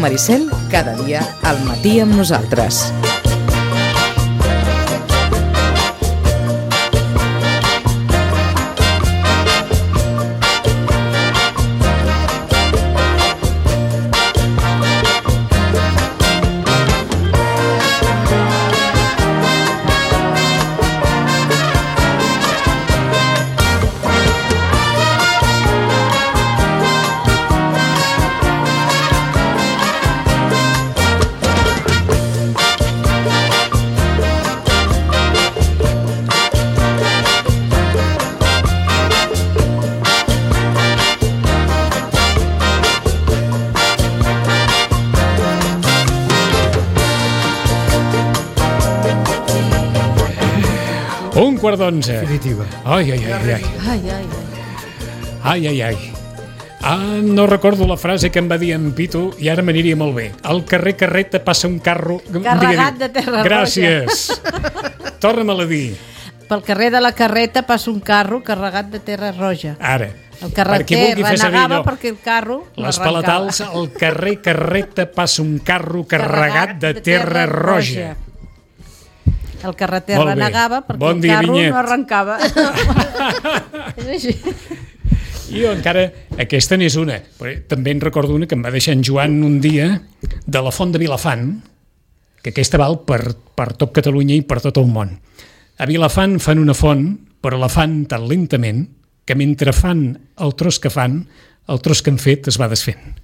Ràdio Maricel, cada dia al matí amb nosaltres. Un quart d'onze. Definitiva. Ai. No recordo la frase que em va dir en Pitu i ara m'aniria molt bé. Al carrer Carreta passa un carro... Carregat de terra roja. Gràcies. Torna-me-la a dir. Pel carrer de la Carreta passa un carro carregat de terra roja. Ara. El carreter renegava perquè el carro les palatals, al carrer Carreta passa un carro carregat de terra roja. El carreter renegava perquè el carro no arrencava. És així. I jo encara, aquesta n'és una, però també en recordo una que em va deixar en Joan un dia de la Font de Vilafant, que aquesta val per tot Catalunya i per tot el món. A Vilafant fan una font, però la fan tan lentament que mentre fan el tros que fan, el tros que han fet es va desfent.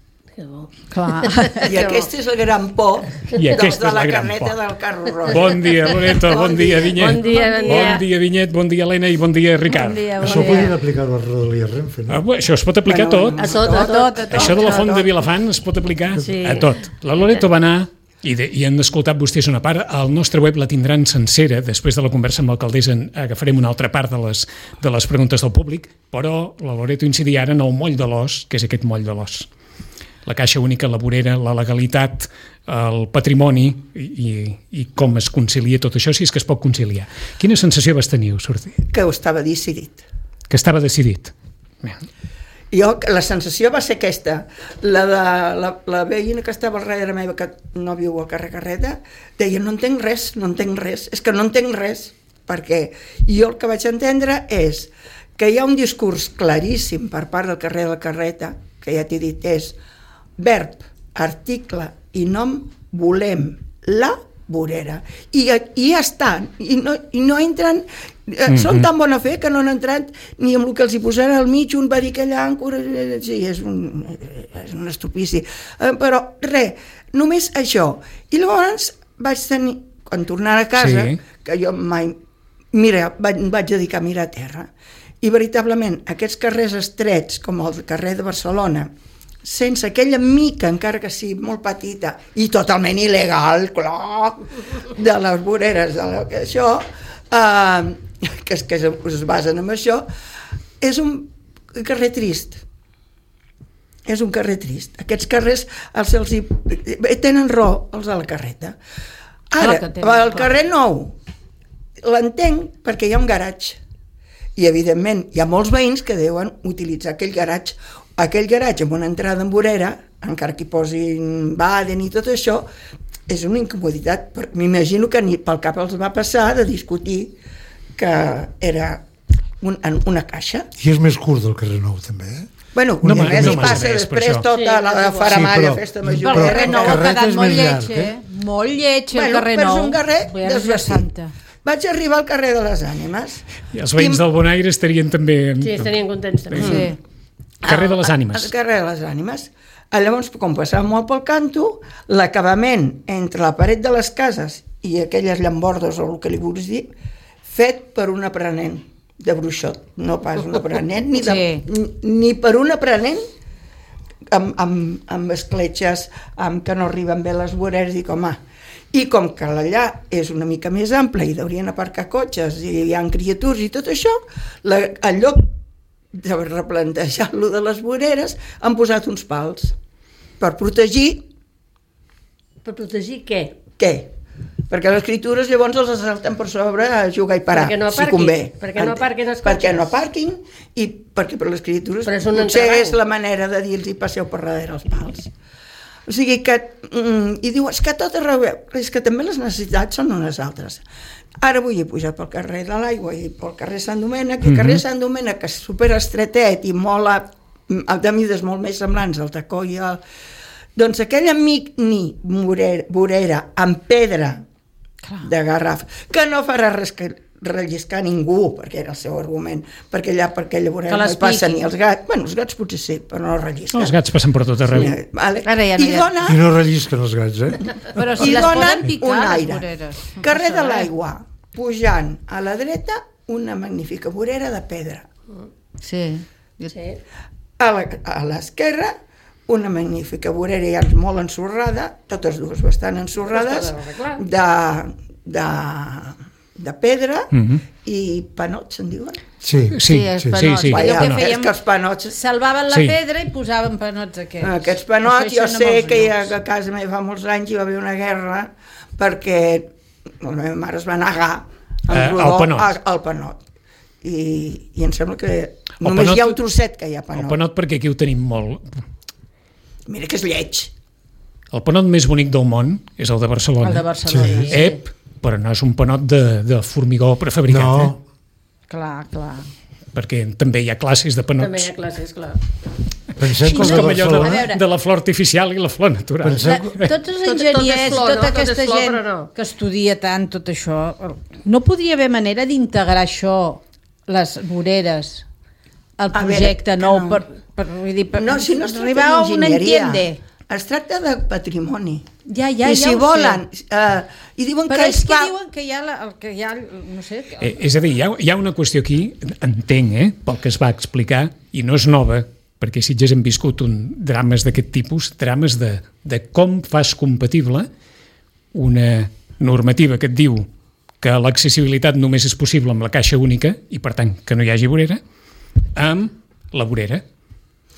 Clar. I aquesta és la gran por de la carreta del carro roja. Bon dia, Loreto, bon dia, Vinyet. Bon dia, Vinyet, bon dia, Helena, i bon dia, Ricard. Això ho podien aplicar a la Rodalia Renfe, no? Això es pot aplicar a tot. A tot. Això de la Font de Vilafant es pot aplicar a tot. La Loreto va anar, i han escoltat vostès una part, al nostre web la tindran sencera, després de la conversa amb l'alcaldessa agafarem una altra part de les preguntes del públic, però la Loreto incidia ara en el moll de l'os, que és aquest moll de l'os. La Caixa Única, la vorera, la legalitat, el patrimoni i com es concilia tot això, si és que es pot conciliar. Quina sensació vas tenir, sortir? Que ho estava decidit. Que estava decidit. Jo, la sensació va ser aquesta. La veïna que estava al darrere meva, que no viu al carrer Carreta, deia, no entenc res, és que no entenc res, perquè jo el que vaig entendre és que hi ha un discurs claríssim per part del carrer de la Carreta, que ja t'he dit, és verb, article i nom, volem la vorera. I ja estan. I no entren... Són tan bona fe que no han entrat ni amb el que els hi posaran al mig. Un va dir que allà... Sí, és un estupici. Però res, només això. I llavors vaig tenir... Quan tornar a casa, que jo mai... Mira, vaig dedicar a mirar a terra. I veritablement, aquests carrers estrets, com el carrer de Barcelona, sense aquella mica, encara que sigui molt petita, i totalment il·legal, clar, de les voreres, això, que es basen en això, és un carrer trist. És un carrer trist. Aquests carrers tenen raó, els de la Carreta. Ara, el carrer Nou, l'entenc perquè hi ha un garatge. I, evidentment, hi ha molts veïns que deuen utilitzar aquell garatge amb una entrada en vorera, encara que hi posin Baden i tot això, és una incomoditat. M'imagino que ni pel cap els va passar de discutir que era una caixa. I és més curt del carrer Nou, també, Bueno, només hi passa després tota la faramalla, festa major. El carrer Nou ha quedat molt lleig, Molt lleig, el carrer Nou. Però és un carrer desvestit. Vaig arribar al carrer de les Ànimes. I els veïns del Bonaire estarien també... Sí, estarien contents també. Sí. Carrer de les Ànimes. El carrer de les Ànimes. Llavors, com passava molt pel canto, l'acabament entre la paret de les cases i aquelles llambordes, o el que li vulguis dir, fet per un aprenent de bruixot. No pas un aprenent, ni per un aprenent amb escletxes, amb que no arriben bé les voreres, i com que l'allà és una mica més ample i haurien aparcar cotxes i hi ha criatures i tot això, en lloc de replantejar-lo de les voreres, han posat uns pals per protegir... Per protegir què? Què? Perquè les criatures llavors els salten per sobre a jugar i parar, si convé. Perquè no aparquin els cotxes. Perquè no aparquin i perquè per les criatures potser és la manera de dir-los passeu per darrere els pals. O sigui que... I diu, és que tot arreu... És que també les necessitats són unes altres. Ara vull pujar pel carrer de l'Aigua i pel carrer Sant Domènec, i el carrer Sant Domènec, que és superestretet i molt de mides molt més semblants al tacó i al... Doncs aquell amic vorera amb pedra de garraf, que no farà res que relliscar ningú, perquè era el seu argument, perquè allà per aquella vorera no hi passen ni els gats. Bueno, els gats potser sí, però no rellisquen. Els gats passen per tot arreu. Sí, vale. I no rellisquen els gats, Però si les poden picar, les voreres. Carrer de l'Aigua, pujant a la dreta, una magnífica vorera de pedra. Sí. A l'esquerra, una magnífica vorera ja molt ensorrada, totes dues bastant ensorrades, de pedra i panots, se'n diuen? Sí. És que els panots... Salvaven la pedra i posaven panots aquests. Aquests panots, jo sé que a casa meva fa molts anys hi va haver una guerra perquè la meva mare es va negar al panot. I em sembla que només hi ha un trosset que hi ha panot. El panot perquè aquí ho tenim molt. Mira que és lleig. El panot més bonic del món és el de Barcelona. El de Barcelona, sí. Però no és un panot de formigó prefabricat. No. Clar. Perquè també hi ha classes de panots. També hi ha classes, clar. Pensem és com allò de la flor artificial i la flor natural. Tots els enginyers, tota aquesta gent que estudia tant tot això, no podria haver manera d'integrar això, les voreres, al projecte nou per arribar a un entendre. Es tracta de patrimoni. Ja I si volen... I diuen però és que diuen que hi ha no sé... És a dir, hi ha una qüestió aquí, entenc, pel que es va explicar, i no és nova, perquè si ja hem viscut drames d'aquest tipus, drames de com fas compatible una normativa que et diu que l'accessibilitat només és possible amb la caixa única, i per tant que no hi hagi vorera, amb la vorera,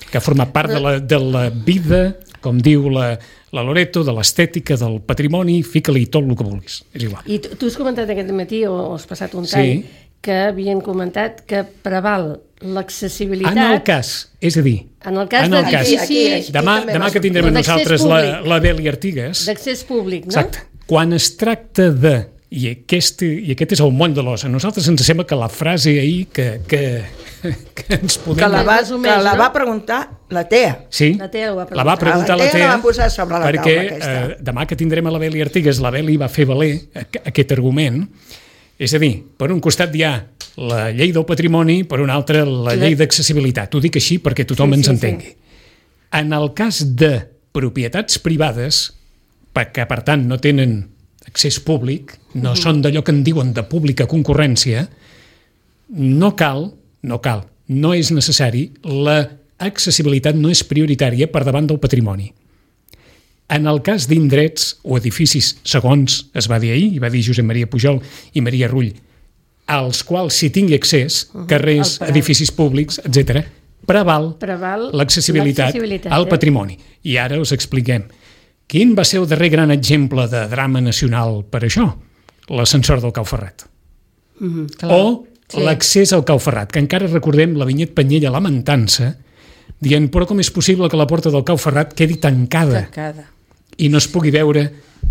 que ha format part de la vida, com diu la Loreto, de l'estètica, del patrimoni, fica-li tot el que vulguis, és igual. I tu has comentat aquest matí, o has passat un tall, que havien comentat que preval l'accessibilitat... En el cas, és a dir... En el cas d'edifici... Demà que tindrem nosaltres la Beli Artigas... D'accés públic, no? Exacte. Quan es tracta de... I aquest és el món de l'os. A nosaltres ens sembla que la frase ahir que ens podem... Que la va preguntar la Tea. Sí, la va preguntar la Tea, la va posar sobre la perquè taula demà que tindrem a la Beli Artigas, la Beli va fer valer aquest argument. És a dir, per un costat hi ha la llei del patrimoni, per un altre la llei d'accessibilitat. Ho dic així perquè tothom ens entengui. En el cas de propietats privades, que per tant no tenen accés públic, no són d'allò que en diuen de pública concurrència, no és necessari, l'accessibilitat no és prioritària per davant del patrimoni. En el cas d'indrets o edificis, segons es va dir ahir, i va dir Josep Maria Pujol i Maria Rull, als quals si tingui accés, carrers, edificis públics, etc., preval l'accessibilitat al patrimoni. I ara us expliquem. Quin va ser el darrer gran exemple de drama nacional per això? L'ascensor del Cau Ferrat. L'accés al Cau Ferrat, que encara recordem la Vinyet Panyella lamentant-se, dient, però com és possible que la porta del Cau Ferrat quedi tancada i no es pugui veure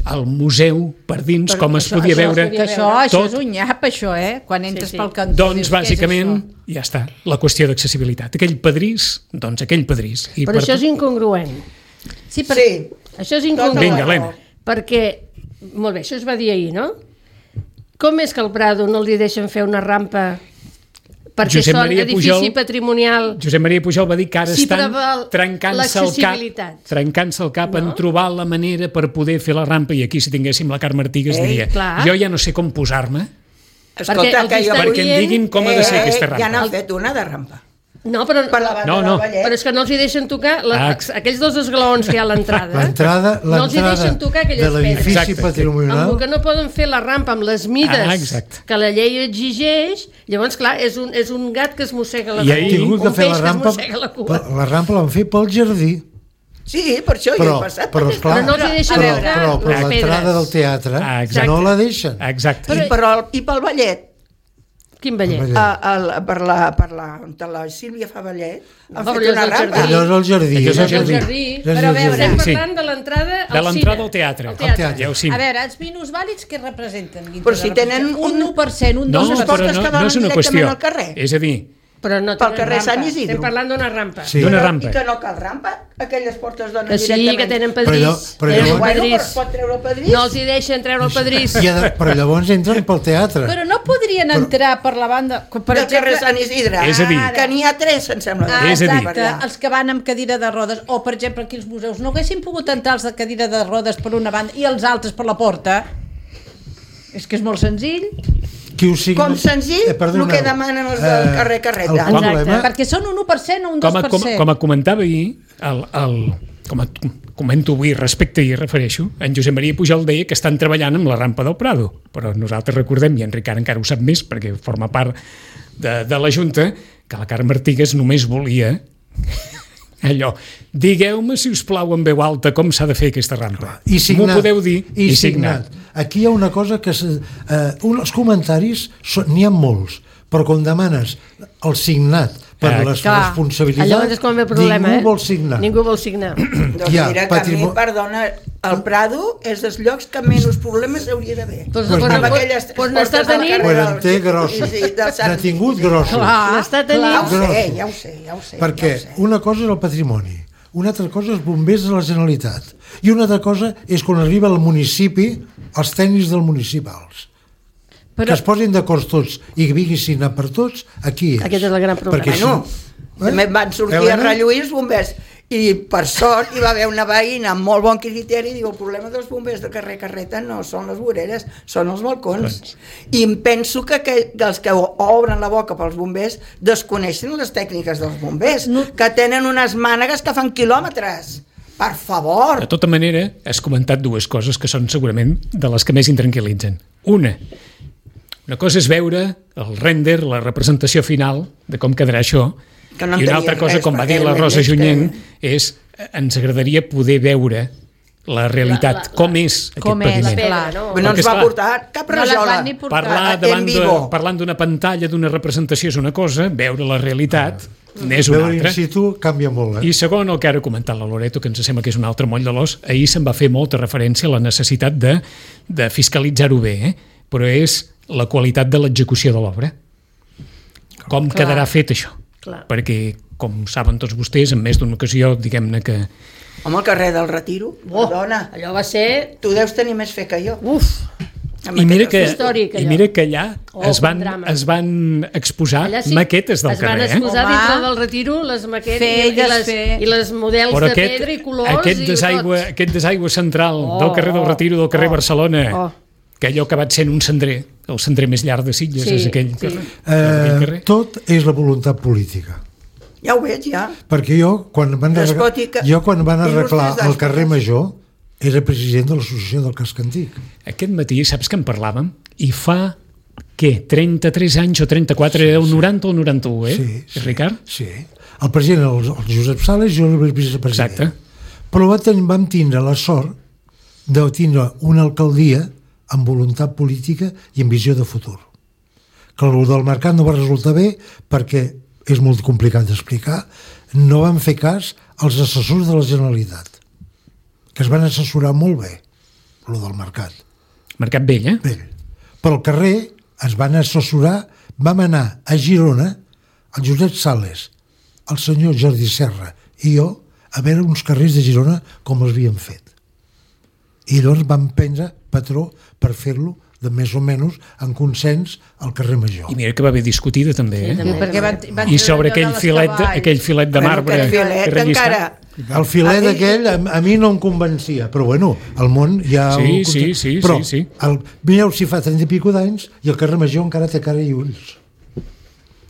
al museu per dins, com es podia veure... Això és un nyap, això, quan entres pel cantó. Doncs, bàsicament, ja està, la qüestió d'accessibilitat. Aquell pedrís. Però això és incongruent. Sí. Això és incongruent. Vinga, Helena. Perquè, molt bé, això es va dir ahir, no? Com és que al Prado no li deixen fer una rampa perquè són edifici patrimonial? Josep Maria Pujol va dir que ara estan trencant-se el cap en trobar la manera per poder fer la rampa, i aquí si tinguéssim la Carme Artigas diria, jo ja no sé com posar-me perquè em diguin com ha de ser aquesta rampa. Ja n'han fet una de rampa. No, però és que no els hi deixen tocar aquells dos esglaons que hi ha a l'entrada. No els hi deixen tocar aquelles l'edifici patrimonial. Amb el que no poden fer la rampa amb les mides que la llei exigeix. Llavors, clar, és un gat que es mossega la cua. Un peix que es mossega la cua. La rampa l'han fet pel jardí. Sí, per això hi he passat. Però no els hi deixen veure les pedres. Però l'entrada del teatre no la deixen. Exacte. I pel ballet. Quin ballet? Per la Sílvia Favallet han fet una rampa. Allò és el jardí. Però a veure, estem parlant de l'entrada al cine. De l'entrada al teatre. A veure, els minusvàlids què representen? Però si tenen un 1%, un 2%. No, però no és una qüestió. És a dir, però no pel carrer Sant Isidro. Estem parlant d'una rampa. Sí. D'una rampa. I que no cal rampa? Aquelles portes donen directament. Sí, que tenen pedrís. Bueno, es pot treure el pedrís. No els hi deixen treure el pedrís. Però llavors entren pel teatre. Però no podrien entrar per la banda... Del carrer Sant Isidre. És a dir... Que n'hi ha 3, em sembla. Exacte, els que van amb cadira de rodes, o per exemple aquí als museus, no haguessin pogut entrar els de cadira de rodes per una banda i els altres per la porta? És que és molt senzill. Com senzill, el que demanen els del carrer Carreta. Exacte, perquè són un 1% o un 2%. Com comentava ahir, com comento avui respecte i refereixo, en Josep Maria Pujol deia que estan treballant amb la rampa del Prado, però nosaltres recordem, i en Ricard encara ho sap més perquè forma part de la Junta, que la Carme Artigas només volia allò, digueu-me si us plau en veu alta com s'ha de fer aquesta rampa. M'ho podeu dir? I signat. Aquí hi ha una cosa que els comentaris n'hi ha molts, però quan demanes el signat per les responsabilitats, ningú vol signar. Ningú vol signar. Doncs mira, que a mi, perdona, el Prado és dels llocs que menys problemes hauria d'haver. Amb aquelles portes del carrer. Quan té grossos. N'ha tingut grossos. Ja ho sé. Perquè una cosa és el patrimoni, una altra cosa és bombers de la Generalitat, i una altra cosa és quan arriba al municipi els tècnics del municipals. Que es posin d'acord tots i que vinguin signar per tots, aquí és. Aquest és el gran problema. També van sortir a relluir els bombers i per sort hi va haver una veïna amb molt bon criteri i diu el problema dels bombers del carrer Carreta no són les voreres, són els balcons. I em penso que els que obren la boca pels bombers desconeixen les tècniques dels bombers, que tenen unes mànegues que fan quilòmetres. Per favor! De tota manera, has comentat dues coses que són segurament de les que més intranquil·litzen. Una cosa és veure el render, la representació final de com quedarà això, i una altra cosa, com va dir la Rosa Junyent, és ens agradaria poder veure la realitat, com és aquest paviment. No ens va portar cap rajola. Parlant d'una pantalla, d'una representació és una cosa, veure la realitat n'és una altra. Veure in situ canvia molt. I segon, el que ara ha comentat la Loreto, que ens sembla que és un altre moll de l'os, ahir se'n va fer molta referència a la necessitat de fiscalitzar-ho bé, però és la qualitat de l'execució de l'obra. Com quedarà fet això? Perquè, com saben tots vostès, en més d'una ocasió, diguem-ne que... Home, el carrer del Retiro, perdona. Allò va ser... Tu deus tenir més fe que jo. I mira que allà es van exposar maquetes del carrer. Es van exposar dintre del Retiro les maquetes i les models de pedra i colors. Aquest desaigüe central del carrer del Retiro, del carrer Barcelona, que allò que va sent un cendrer, el cendrer més llarg de Sitges, és aquell carrer. Tot és la voluntat política. Ja ho veig, ja. Perquè jo, quan van arreglar el carrer Major, era president de l'associació del Casc Antic. Aquest matí, saps que en parlàvem? I fa, què, 33 anys o 34, era el 90 o el 91, Sí. Ricard? Sí. El president era el Josep Sales i jo era el vicepresident. Exacte. Però vam tindre la sort de tindre una alcaldia amb voluntat política i amb visió de futur. Que el del mercat no va resultar bé perquè és molt complicat d'explicar, no van fer cas als assessors de la Generalitat, que es van assessorar molt bé, el del mercat. Mercat vell, Vell. Pel carrer es van assessorar, vam anar a Girona, el Josep Sales, el senyor Jordi Serra i jo, a veure uns carrers de Girona com els havíem fet. I llavors vam prendre patró per fer-lo de més o menys en consens al carrer Major. I mira que va haver discutida també, I sobre aquell filet de marbre que rellisca. El filet aquell a mi no em convencia, però bueno, al món hi ha... Sí. Però mireu si fa 30 i pico d'anys i el carrer Major encara té cara i ulls.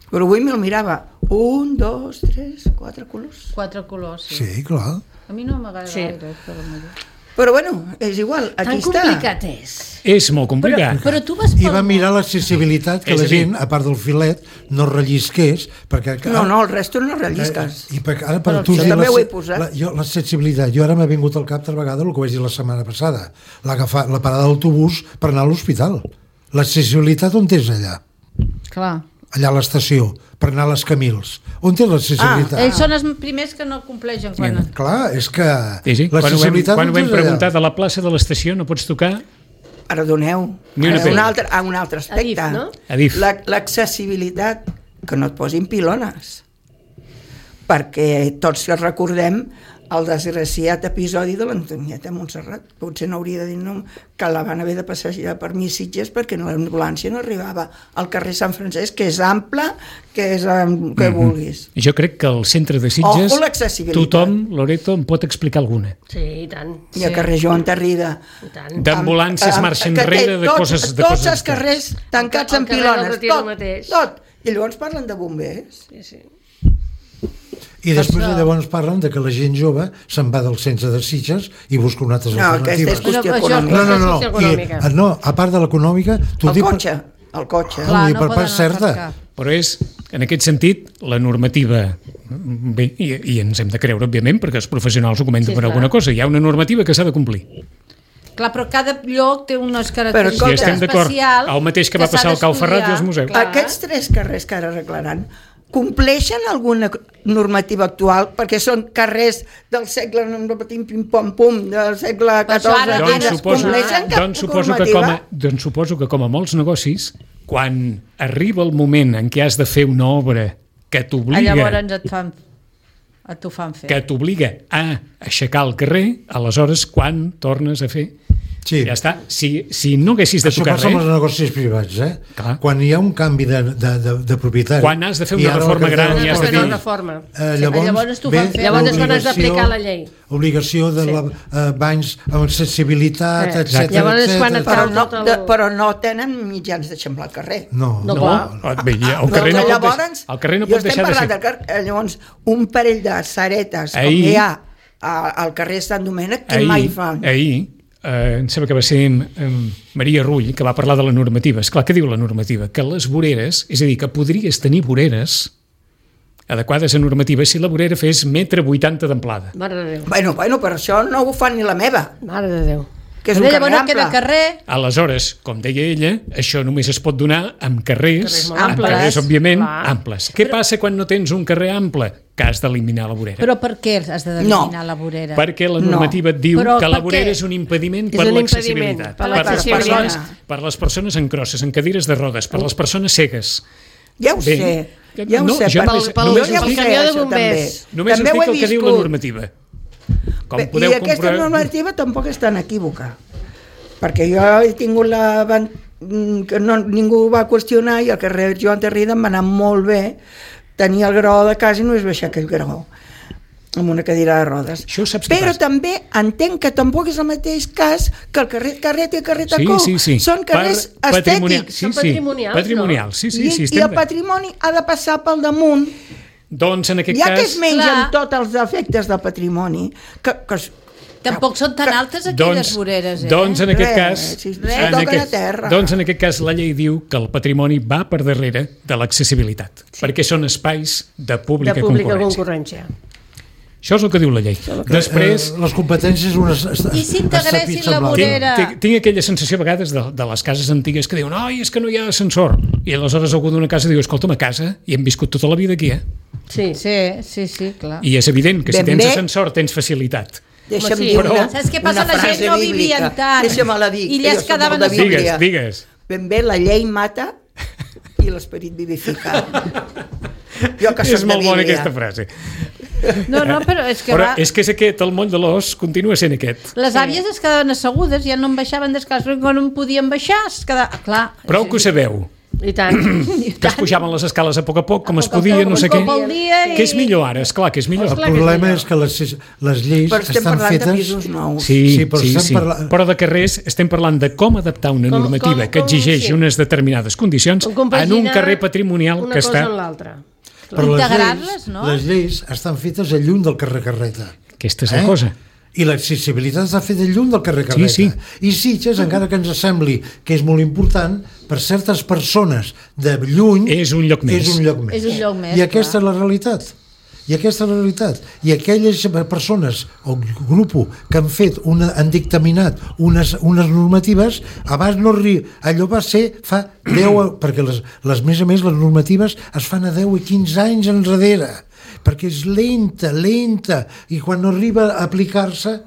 Però avui me'l mirava. 1, 2, 3, 4 colors. 4 colors, Sí, clar. A mi no m'agrada gaire, però bueno, és igual, aquí està. Tan complicat és. És molt complicat. Però tu vas I va mirar l'accessibilitat, que la gent, a part del filet, no rellisqués, perquè... No, el resto no rellisques. I ara per tu també ho he posat. L'accessibilitat, jo ara m'ha vingut al cap altra vegada el que vaig dir la setmana passada, la parada d'autobús per anar a l'hospital. L'accessibilitat on és allà? Clar. allà a l'estació, per anar a les Camils. On té l'accessibilitat? Ells són els primers que no compleixen. Clar, és que sí. l'accessibilitat... Quan ho vam preguntar de la plaça de l'estació no pots tocar... Perdoneu, un altre aspecte. Adif, no? Adif. L'accessibilitat, que no et posin pilones. Perquè tots recordem el desgraciat episodi de l'Antonieta Montserrat. Potser no hauria de dir que la van haver de passejar per Sitges perquè l'ambulància no arribava al carrer Sant Francesc, que és ample, que és que vulguis. Jo crec que al centre de Sitges tothom, Loreto, em pot explicar alguna. Sí, i tant. I al carrer Joan Tarrida. D'ambulàncies marxa enrere, de coses... Tots els carrers tancats amb pilones. Tot. I llavors parlen de bombers. Sí. I després llavors parlen de que la gent jove se'n va del centre de Sitges i busca una altra alternativa. Aquesta és qüestió econòmica. No, a part de l'econòmica... El cotxe. Clar, per part certa. Però és, en aquest sentit, la normativa... Bé, i ens hem de creure, òbviament, perquè els professionals ho comenten per alguna cosa. Hi ha una normativa que s'ha de complir. Clar, però cada lloc té unes característiques especials. El mateix que va passar al Cau Ferrat i als museus. Aquests 3 carrers que ara arreglaran compleixen alguna normativa actual, perquè són carrers del segle pim-pom-pum, del segle XIV, doncs suposo que com a molts negocis, quan arriba el moment en què has de fer una obra que t'obliga... Llavors t'ho fan fer. Que t'obliga a aixecar el carrer, aleshores quan tornes a fer... Sí. Ja està. Si no haguessis de tocar res... Això passa amb els negocis privats, Clar. Quan hi ha un canvi de propietari... Quan has de fer una reforma gran i has de dir... Llavors quan has d'aplicar la llei. Obligació de banys amb accessibilitat, etc. Però no tenen mitjans d'eixamplar el carrer. No. El carrer no pot deixar de ser... Llavors, un parell de saretes, com hi ha al carrer Sant Domènec, que mai fan. Em sembla que va ser Maria Rull que va parlar de la normativa. Esclar, què diu la normativa? Que les voreres, és a dir, que podries tenir voreres adequades a normativa si la vorera fes 1,80 m d'amplada. Mare de Déu. Bueno, per això no ho fan ni la meva. Mare de Déu. Que és un carrer ample. Carrer. Aleshores, com deia ella, això només es pot donar amb carrers òbviament, amples. Què passa quan no tens un carrer ample? Que has d'eliminar la vorera. Però per què has d'eliminar la vorera? Perquè la normativa et diu que la vorera és un impediment per l'accessibilitat. Per les persones en crosses, en cadires de rodes, per les persones cegues. Ja ho sé. Pel camió de bombers. Només us dic el que diu la normativa. I aquesta normativa tampoc és tan equívoca, perquè jo he tingut que ningú va qüestionar i al carrer Joan Tarrida em va anar molt bé, tenia el graó de casa i només baixar aquell graó amb una cadira de rodes. Però també entenc que tampoc és el mateix cas que el carrer Carret i el carrer Tacó. Són carrers estètics, són patrimonials. I el patrimoni ha de passar pel damunt. Doncs en aquest cas... Ja que es mengen tots els efectes del patrimoni, tampoc són tan altes aquelles voreres, Doncs en aquest cas la llei diu que el patrimoni va per darrere de l'accessibilitat, perquè són espais de pública concurrència. Això és el que diu la llei. Després... Les competències... I si integressin la vorera... Tinc aquella sensació a vegades de les cases antigues que diuen és que no hi ha ascensor. I aleshores algú d'una casa diu escolta'm, a casa hi hem viscut tota la vida aquí, Sí, clar. I és evident que si tens ascensor tens facilitat. Deixa'm dir saps què passa? La gent no vivien tant. Deixa'm-la dir. I elles quedaven a Digues. Ben bé, la llei mata i l'esperit vivifica. És molt bona aquesta frase. No, però és que és que és aquest, el moll de l'os continua sent aquest. Les àvies es quedaven assegudes, ja no en baixaven descalç, perquè quan no podien baixar clar. Prou que ho sabeu. I tant. Que es pujaven les escales a poc com es podia, no sé què. Què és millor ara? Esclar que és millor. El problema és que les lleis estan fetes... Sí, però de carrers estem parlant de com adaptar una normativa que exigeix unes determinades condicions en un carrer patrimonial que està... Però les lleis estan fetes a lluny del carrer Carreta. Aquesta és la cosa. I l'accessibilitat està feta lluny del carrer Carreta. I Sitges, encara que ens sembli que és molt important, per certes persones de lluny és un lloc més. I aquesta és la realitat. I aquesta és la realitat. I aquelles persones o grup que han dictaminat unes normatives, abans no allò va ser fa 10, perquè les més a més les normatives es fan a 10 i 15 anys enrere, perquè és lenta, i quan no arriba a aplicar-se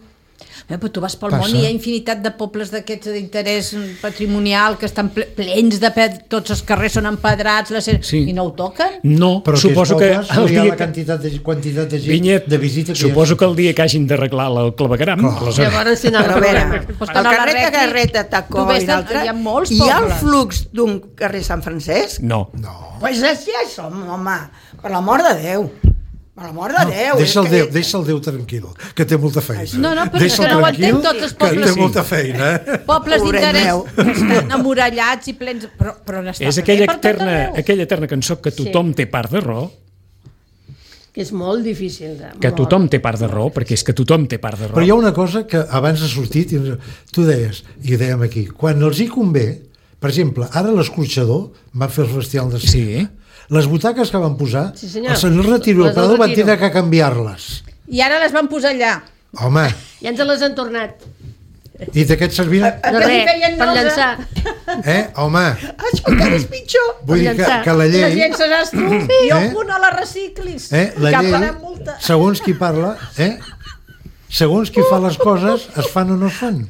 però tu vas pel món i hi ha infinitat de pobles d'aquests d'interès patrimonial que estan plens de tots els carrers són empedrats i no ho toquen? No, però suposo que el dia la quantitat de gent Vinyet, de visita suposo que el dia que hagin d'arreglar el clavegueram llavors si no, però a veure, el carrer Cagarreta, Tacó i l'altre, hi ha el flux d'un carrer Sant Francesc? No. Pues així som, home, per l'amor de Déu. Per l'amor de Déu. Deixa el Déu tranquil, que té molta feina. No, però és que no ho entenc tots els pobles. Que té molta feina. Pobles d'interès que estan amurallats i plens... Però és aquella eterna cançó que tothom té part de raó. Que és molt difícil. Que tothom té part de raó, perquè és que tothom té part de raó. Però hi ha una cosa que abans ha sortit, tu deies, i ho dèiem aquí, quan els hi convé, per exemple, ara l'escorxador va fer el Festival de Cinema. Sí. Les butaques que van posar, el senyor Retiro i el Prado van tenir que canviar-les. I ara les van posar allà. Home. I ens les han tornat. I de què et servien? No res, per llançar. Home. Això encara és pitjor. Vull dir que la llei... Les llençaràs tu i alguna la reciclis. La llei, segons qui parla, segons qui fa les coses, es fan o no es fan.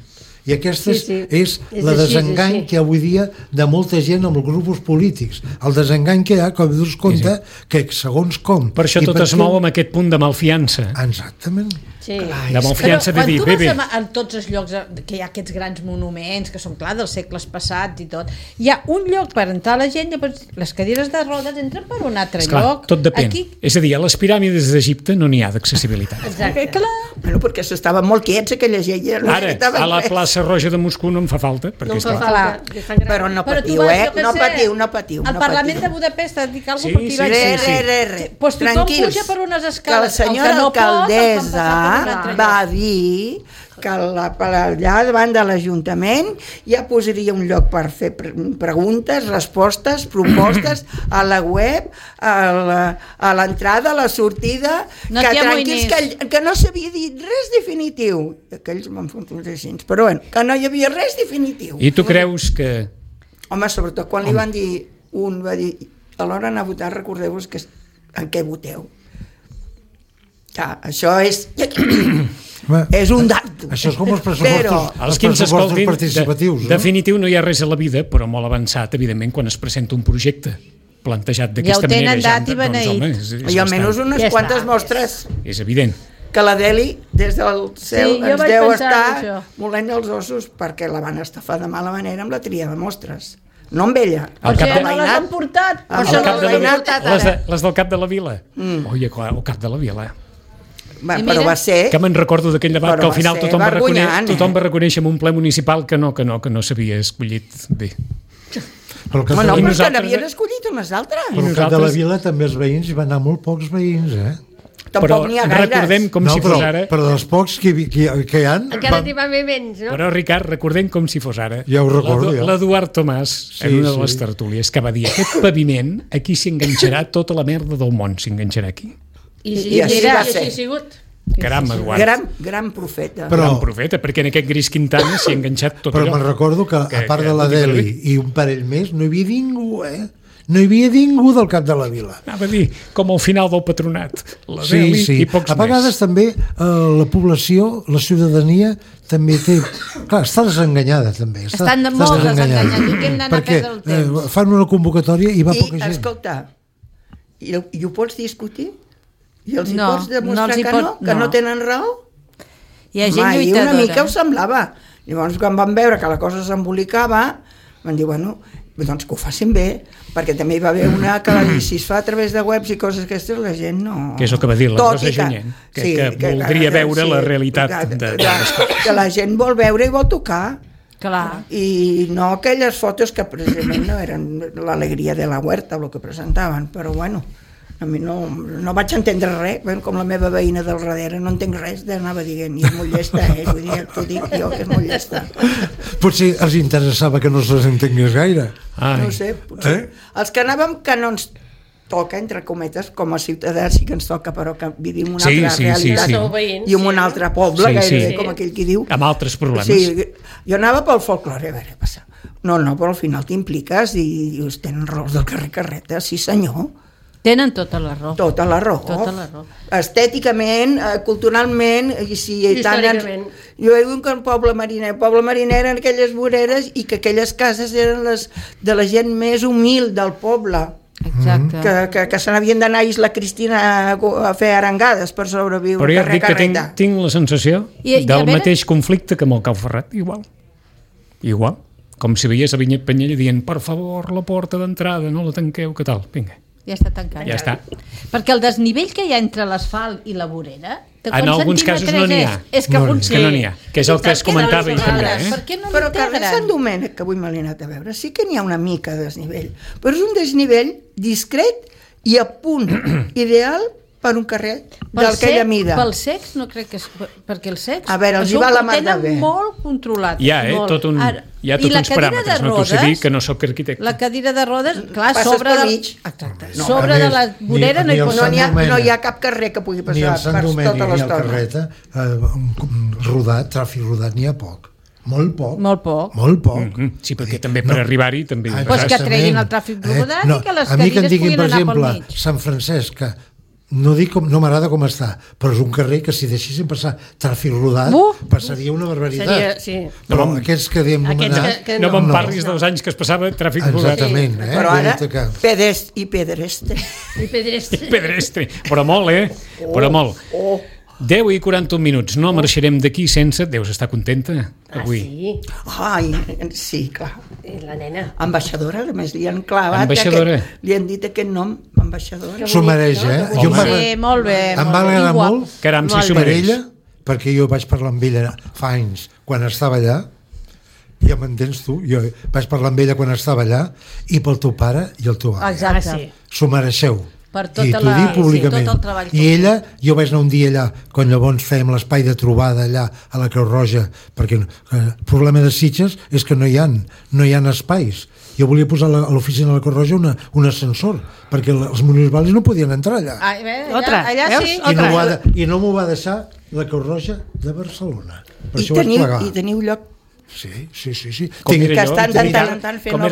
I aquesta és la desengany que avui dia de molta gent amb els grups polítics. El desengany que hi ha, com dius compte, que segons com... Per això tot es mou amb aquest punt de malfiança. Exactament. Sí. De malfiança de dir... Quan tu vas en tots els llocs que hi ha aquests grans monuments, que són clar dels segles passats i tot, hi ha un lloc per entrar la gent, les cadires de rodes entren per un altre lloc. Tot depèn. És a dir, a les piràmides d'Egipte no n'hi ha d'accessibilitat. Exacte. Bueno, perquè s'estaven molt quiets aquella gent. Ara, a la plaça Roja de Moscou no em fa falta, perquè no em fa falta. Però no patiu, no patiu. Al Parlament de Budapest et dic alguna cosa per tirar. Res. Tothom puja per unes escales. Que la senyora alcaldessa va dir que allà davant de l'Ajuntament ja posaria un lloc per fer preguntes, respostes, propostes a la web, a l'entrada, a la sortida, que tranquils, que no s'havia dit res definitiu. Aquells m'han fotut així, però bueno, que no hi havia res definitiu. I tu creus que... Home, sobretot quan li van dir, un va dir, a l'hora d'anar a votar recordeu-vos en què voteu. Ja, això és un dato. Això és com els pressupostos, els que ens escoltin, participatius. Definitiu no hi ha res a la vida, però molt avançat, evidentment, quan es presenta un projecte plantejat d'aquesta manera. Ja ho tenen dat i beneït. I almenys unes quantes mostres. És evident. Que la Deli, des del cel, ens deu estar molent els ossos perquè la van estafar de mala manera amb la tria de mostres. No amb ella. No les han portat. Les del cap de la vila. Oi, el cap de la vila. Però va ser... Que me'n recordo d'aquell debat que al final tothom va reconèixer en un ple municipal que no s'havia escollit bé. Però que n'havien escollit unes altres. Però al cap de la vila també els veïns hi van anar molt pocs veïns, Tampoc n'hi ha gaires. Recordem com si fos ara... Però dels pocs que hi han... Encara n'hi va haver menys, no? Però, Ricard, recordem com si fos ara. Ja ho recordo, l'Eduard Tomàs, en una de les tertúlies, que va dir aquest paviment, aquí s'enganxarà tota la merda del món, s'enganxarà aquí. I així ha sigut. Caram, Eduard. Gran profeta. Gran profeta, perquè en aquest Gris Quintana s'hi ha enganxat tot allò. Però me'n recordo que, a part de la Deli i un parell més, no hi havia ningú, No hi havia ningú del cap de la vila. Anava a dir, com al final del patronat. La Deli i pocs més. A vegades també la població, la ciutadania, també té... Clar, està desenganyada, també. Estan molt desenganyats. Perquè fan una convocatòria i va poca gent. Escolta, i ho pots discutir? I els hi pots demostrar que no tenen raó? Hi ha gent lluitadora. Una mica ho semblava. Llavors, quan van veure que la cosa s'embolicava, van dir, bueno, doncs que ho facin bé, perquè també hi va haver una que va dir, si es fa a través de webs i coses aquestes, la gent no... Que és el que va dir la Rosa Junyent, que voldria veure la realitat. Que la gent vol veure i vol tocar. Clar. I no aquelles fotos que precisament no eren l'alegria de la huerta, el que presentaven, però bueno... A mi no vaig entendre res, com la meva veïna del darrere, no entenc res, anava dient, i és molt llesta, vull dir, t'ho dic jo, que és molt llesta. Potser els interessava que no se'ls entengués gaire. No ho sé, potser. Els que anàvem canons toca, entre cometes, com a ciutadans sí que ens toca, però que vivim una altra realitat i en un altre poble, gairebé, com aquell qui diu. Amb altres problemes. Sí, jo anava pel folklore, a veure, passa. No, però al final t'impliques i dius, tenen raons del carrer Carreta, sí senyor. Tenen tota la raó. Tota la raó. Estèticament, culturalment, i històricament. Jo he dit que el poble mariner eren aquelles voreres i que aquelles cases eren les de la gent més humil del poble. Exacte. Que se n'havien d'anar a Isla Cristina a fer arengades per sobreviure. Però ja et dic que tinc la sensació del mateix conflicte que amb el Cau Ferrat, igual. Com si veiés a Vinyet Penyella dient, per favor, la porta d'entrada, no la tanqueu, què tal? Vinga. Ja està tancat. Ja està. Perquè el desnivell que hi ha entre l'asfalt i la vorera... En alguns casos no n'hi ha. És que no n'hi ha. Que és el que es comentava ell també. Per què no però carrer Sant Domènec, que avui me l'he anat a veure, sí que n'hi ha una mica de desnivell. Però és un desnivell discret i a punt ideal per un carrer d'aquella mida. Pel sex no crec que és... Perquè el sex... A veure, els hi va la mar de bé. Molt controlat. Hi ha tots uns paràmetres, no t'ho sé dir, que no soc arquitecte. La cadira de rodes, clar, sobre de la vorera no hi ha cap carrer que pugui passar per tota l'estona. Rodat, tràfic rodat, n'hi ha poc. Molt poc. Sí, perquè també per arribar-hi també... Pues que treguin el tràfic rodat i que les cadires puguin anar pel mig. Sant Francesc, que no m'agrada com està, però és un carrer que si deixessin passar tràfic rodat passaria una barbaritat. Però aquests que diem no me'n parlis dels anys que es passava tràfic rodat. Exactament. Però ara, pedestre. Pedestre. Però molt, Però molt. 10 i 41 minuts. No marxarem d'aquí sense... Deus estar contenta avui. Sí, clar. La nena. Ambaixadora, a més li han clavat... Li han dit aquest nom, ambaixadora. S'ho mereix, Sí, molt bé. Em va agradar molt. Caram, si s'ho mereix. Perquè jo vaig parlar amb ella fa anys, quan estava allà, ja m'entens tu? Jo vaig parlar amb ella quan estava allà, i pel teu pare i el teu avi. Exacte. S'ho mereixeu. Per I t'ho dic públicament. I ella, jo vaig anar un dia allà quan llavors fèiem l'espai de trobada allà a la Creu Roja, perquè el problema de Sitges és que no hi ha espais. Jo volia posar a l'oficina de la Creu Roja un ascensor, perquè els municipals no podien entrar allà. Allà sí. I no m'ho va deixar la Creu Roja de Barcelona. Per això vaig plegar. I teniu lloc. Sí. Com era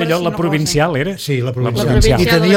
allò, la provincial era? Sí, la provincial. I tenia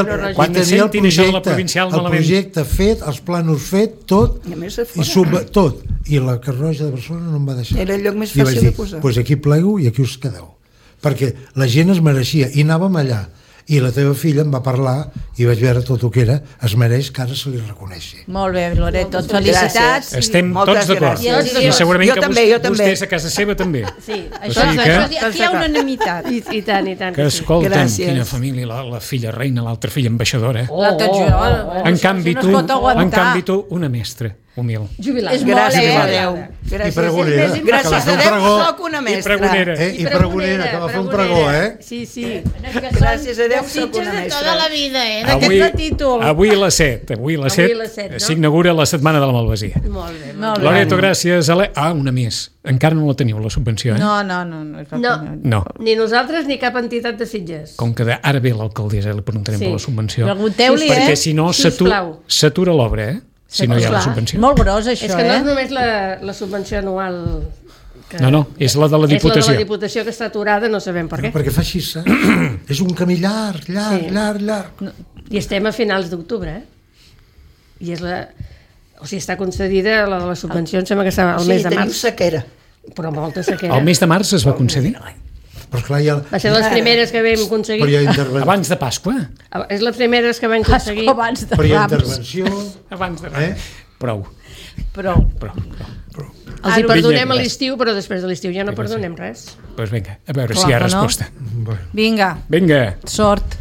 el projecte fet, els planos fet, tot, i la Creu Roja de Barcelona no em va deixar. Era el lloc més fàcil de posar. Doncs aquí plego i aquí us quedeu. Perquè la gent es mereixia, i anàvem allà. I la teva filla em va parlar i vaig veure tot el que era, es mereix que ara se li reconeixi. Molt bé, Loreto, felicitats. Estem tots d'acord. I segurament que vostès a casa seva també. Sí, aquí hi ha unanimitat. I tant. Que escolta'm, quina família, la filla reina, l'altra filla ambaixadora. En canvi tu, una mestra humil. Jubilat. Gràcies a Déu. Gràcies a Déu soc una mestra. I pregonera, que va fer un pregó, Sí. Gràcies a Déu soc una mestra. Tota la vida, d'aquest títol. Avui a les 7 s'inaugura la Setmana de la Malvasia. Molt bé. Loreto, gràcies. Una més. Encara no la teniu, la subvenció, No. Ni nosaltres ni cap entitat de Sitges. Com que ara ve l'alcaldessa, li preguntarem per la subvenció. Pregunteu-li, perquè si no s'atura l'obra, si no hi ha la subvenció. Molt gros, això, És que no és només la subvenció anual... No, és la de la Diputació. És la de la Diputació que està aturada, no sabem per què. Perquè fa així, és un camí llarg. I estem a finals d'octubre, I és o sigui, està concedida la de la subvenció, em sembla que estava al mes de març. Sí, teniu sequera. Però molta sequera. El mes de març es va concedir? Va ser les primeres que vam aconseguir. Abans de Pasqua? És les primeres que vam aconseguir. Però hi ha intervenció. Abans de Rams. Prou. Els hi perdonem a l'estiu, però després de l'estiu ja no perdonem res. Doncs vinga, a veure si hi ha resposta. Vinga. Vinga. Sort.